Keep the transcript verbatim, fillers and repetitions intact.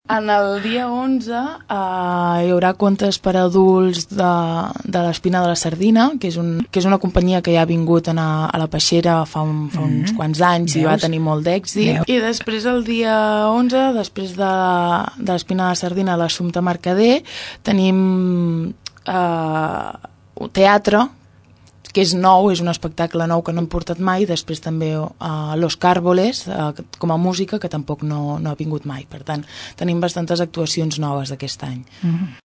En el dia onze eh, hi haurà contes per adults de, de l'Espina de la Sardina, que és, un, que és una companyia que ja ha vingut a, a la Peixera fa, un, fa uns mm-hmm. quants anys. Veus? I va tenir molt d'èxit. I després el dia onze, després de, de l'Espina de la Sardina, l'Assumpta Mercader, tenim eh, teatre, que és nou, és un espectacle nou que no hem portat mai, després també uh, Los Cárboles, uh, com a música, que tampoc no, no ha vingut mai. Per tant, tenim bastantes actuacions noves d'aquest any. Mm-hmm.